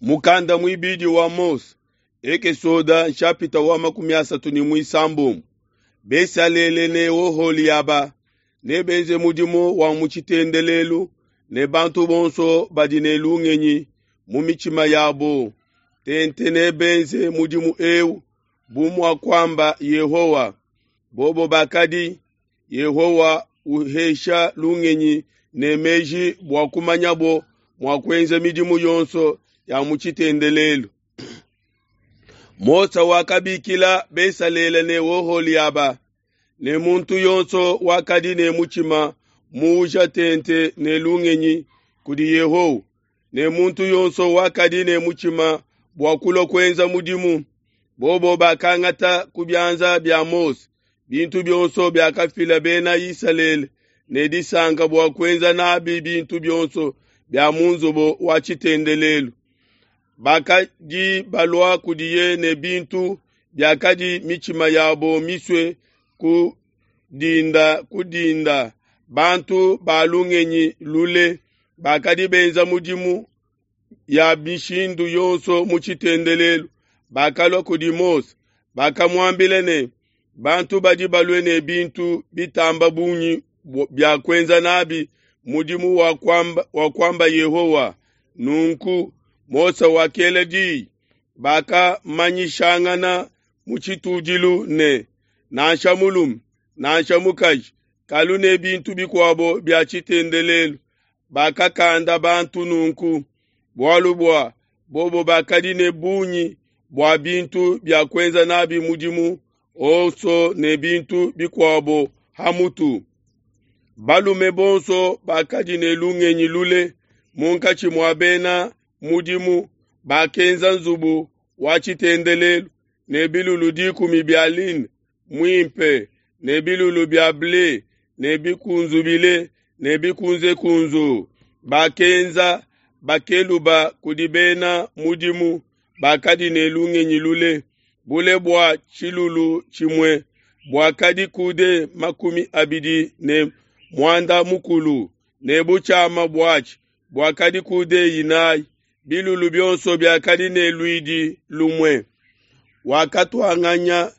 Mukanda muibidi wa Mose, Ekesoda nshapita wa 36. Besalele ne Oholiaba nebenze mudimu wa mu tshitendelelu ne bantu bonso badi ne lungenyi mu mitshima yabo. Tente nebenze mudimu eu bu muakuamba Yehowa. Bobo bakadi Yehowa uhesha lungenyi ne meji bua kumanyabo mua kuenza midimu yonso ya mu tshitendelelu. Mose wakabikila Besalele ne Oholiaba ne muntu yonso wakadi ne mutshima muuja tente ne lungenyi kudi Yehowa, ne muntu yonso wakadi ne mutshima bua kulua kuenza mudimu. Bobo bakangata ku bianza bia Mose bintu bionso biakafila bena Isalele ne disanka bua kuenza nabi bintu bionso bia mu nzubu wa tshitendelelu. Bakadi balua kudiye ne bintu biakadi mitshima yabo misue ku dinda ku dinda. Bantu ba lungenyi lule bakadi benza mudimu ya mishindu yonso mu tshitendelelu bakalua kudi Mose, bakamuambila ne, bantu badi balue ne bintu bitamba bungi bia kuenza nabi mudimu wa kuamba Yehowa. Nunku Mose wakela diyi, bakamanyishangana mu tshitudilu ne, nansha mulume nansha mukaji kalu ne bintu bikuabo bia tshitendelelu. Bakakanda bantu nunku, bualu bua bobo bakadi ne bungi bua bintu bia kuenza nabi mudimu onso ne bintu bikuabo ha mutu. Balume bonso bakadi ne lungenyi lule munkatshi mua bena mudimu bakenza nzubu wa tshitendelelu ne bilulu 10 bia lin muimpe ne bilulu bia ble ne bikunzubile ne bikunzekunzu. Bakenza bakeluba kudi bena mudimu bakadi ne lungenyi lule. Bule bua tshilulu tshimue buakadi kude 25 ne butshiama buatshi buakadi kude 4. Bilulu bionso biakadi ne luidi lumue. Wakatuanganya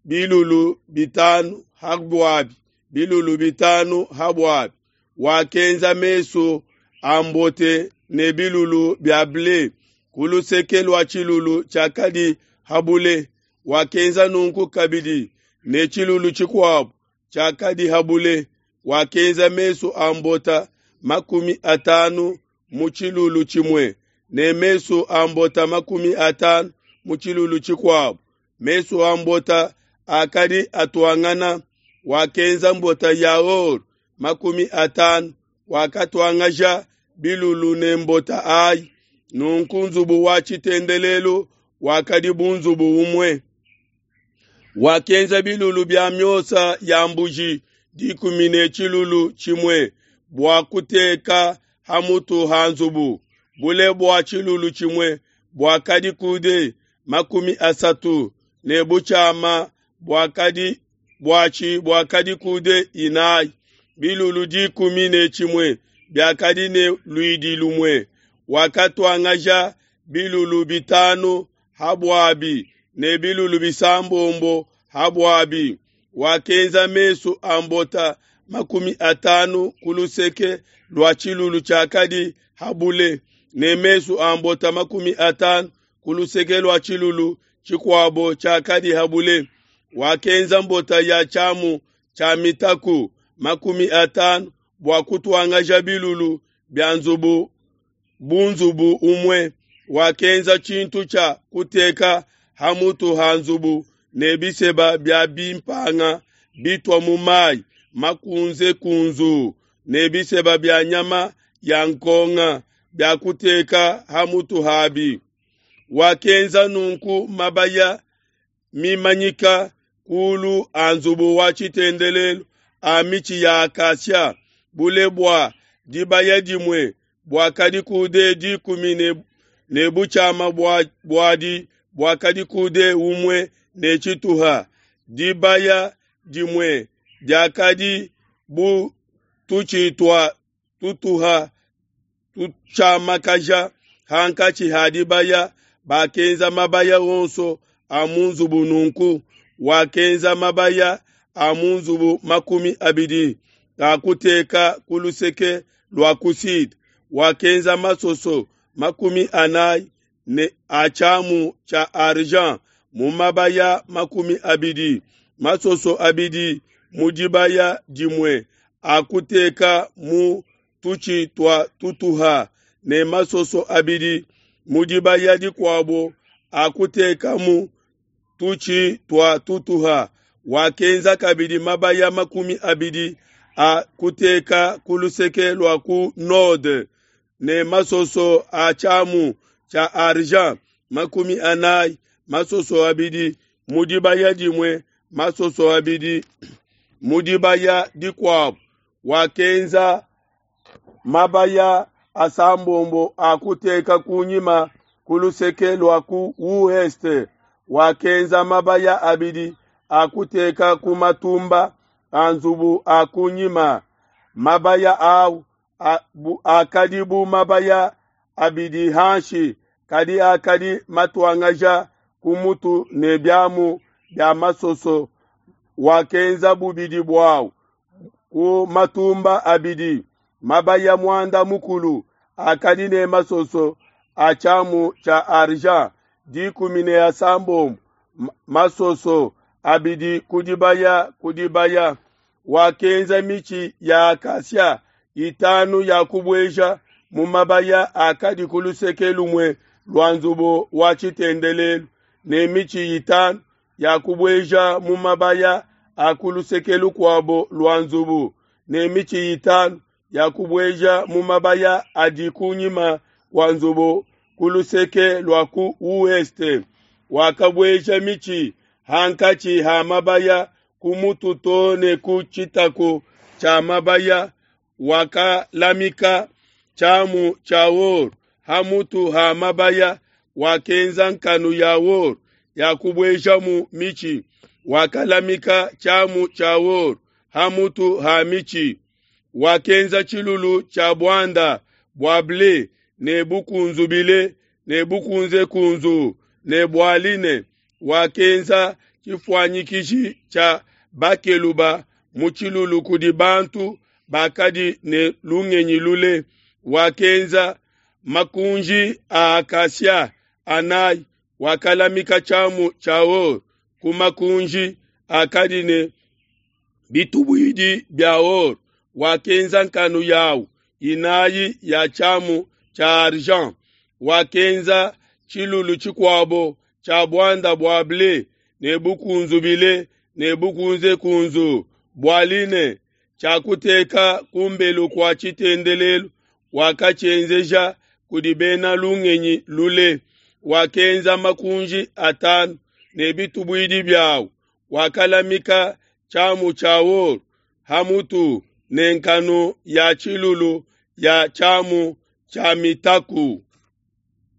bilulu 5 ha buabi, bilulu 5 ha buabi. Wakenza mesu a mbote ne bilulu bia ble ku luseke lua tshilulu tshiakadi ha bule. Wakenza nunku kabidi ne tshilulu tshikuabo tshiakadi ha bule. Wakenza mesu a mbota 50 mu tshilulu tshimue ne mesu a mbota 50 mu tshilulu tshikuabo. Mesu a mbota akadi atuangana. Wakenza mbota ya or 50, wakatuangaja bilulu ne mbota ayi. Nunku nzubu wa tshitendelelu wakadi bu nzubu umue. Wakenza bilulu bia miosa ya mbuji 10 ne tshilulu tshimue bua kuteka ha mutu ha nzubu. Bule bua tshilulu tshimue buakadi kude 30 ne butshiama buakadi buatshi buakadi kude 4. Bilulu 10 ne tshimue biakadi ne luidi lumue. Wakatuangaja bilulu 5 ha buabi ne bilulu 6 ha buabi. Wakenza mesu a mbota 50 ku luseke lua tshilulu tshiakadi ha bule ne mesu a mbota 50 ku luseke lua tshilulu tshikuabo tshiakadi ha bule. Wakenza mbota ya tshiamu tshia mitaku 50 bua kutuangaja bilulu bia nzubu bu nzubu umue. Wakenza tshintu tshia kuteka ha mutu ha nzubu ne biseba bia bimpanga bitua mu mayi makunzekunzu ne biseba bia nyama ya nkonga bia kuteka ha mutu habi. Wakenza nunku mabaya mimanyika kulu a nzubu wa tshitendelelu a mitshi ya akasia. Bule bua dibaya dimue buakadi kude 10 ne butshiama buadi buakadi kude 1 ne tshituha. Dibaya dimue diakadi bu tutshi tua tutuha tutshiamakaja. hankatshi ha dibaya, bakenza mabaya onso a mu nzubu nunku. Wakenza mabaya a mu nzubu 20 a kuteka ku luseke lua ku sud. Wakenza masoso 40 ne a tshiamu tshia argent mu mabaya 20, masoso abidi mu dibaya dimue a kuteka mu tutshi tua tutuha, ne masoso abidi mu dibaya dikuabo a kuteka mu tutshi tua tutuha. Wakenza kabidi mabaya 20 a kuteka ku luseke lua ku node, ne masoso a tshiamu tshia argent 40, masoso abidi mu dibaya dimue, masoso abidi mu dibaya dikuabo. Wakenza mabaya asambombo a kuteka kunyima ku luseke lua ku ouest. Wakenza mabaya abidi a kuteka ku matumba a nzubu a kunyima. Mabaya au akadi bu mabaya abidi hanshi, kadi akadi matuangaja ku mutu ne biamu bia masoso. Wakenza bubidi buau ku matumba abidi. Mabaya muanda mukulu akadi ne masoso a tshiamu tshia argent 16, masoso abidi ku dibaya ku dibaya. Wakenza mitshi ya acacia itanu ya kubueja mu mabaya akadi ku luseke lumue lua nzubu wa tshitendelelu, ne mitshi itanu ya kubueja mu mabaya a ku luseke lukuabo lua nzubu, ne mitshi itanu ya kubueja mu mabaya adi kunyima kua nzubu ku luseke lua ku ouest. Wakabueja mitshi hankatshi ha mabaya ku mutu to ne ku tshitaku tshia mabaya. Wakalamika tshiamu tshia or ha mutu ha mabaya. Wakenza nkanu ya or ya kubuejamu mitshi. Wakalamika tshiamu tshia or ha mutu ha mitshi. Wakenza tshilulu tshia buanda bua ble ne bukunzubile ne bukunzekunzu ne bua line. Wakenza tshifuanyikishi tshia bakeluba mu tshilulu kudi bantu bakadi ne lungenyi lule. Wakenza makunji a acacia anayi. Wakalamika tshiamu tshia or ku makunji akadi ne bitubuidi bia or. Wakenza nkanu yawu inayi ya tshiamu tshia argent. Wakenza tshilulu tshikuabo tshia buanda bua ble ne bukunzubile ne bukunzekunzu bua line, tshia kuteka kumbelu kua tshitendelelu. Wakatshienzeja kudi bena lungenyi lule. Wakenza makunji atanu ne bitubuidi biawu. Wakalamika tshiamu tshia or ha mutu ne nkanu ya tshilulu ya tshiamu tshia mitaku.